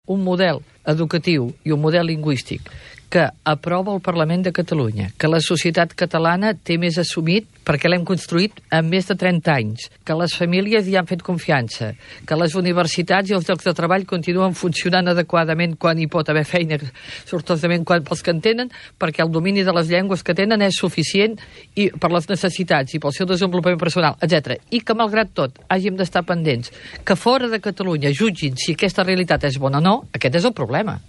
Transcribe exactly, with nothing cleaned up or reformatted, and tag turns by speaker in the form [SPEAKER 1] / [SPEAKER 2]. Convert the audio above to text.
[SPEAKER 1] un model educatiu i un model lingüístic que aprova el Parlament de Catalunya, que la societat catalana té més assumit perquè l'hem construït en més de trenta anys, que les famílies hi han fet confiança, que les universitats i els llocs de treball continuen funcionant adequadament quan hi pot haver feina, sortosament quan pels que en tenen, perquè el domini de les llengües que tenen és suficient i per les necessitats i pel seu desenvolupament personal, etcètera. I que, malgrat tot, hàgim d'estar pendents que fora de Catalunya jutgin si aquesta realitat és bona o no, aquest és el problema.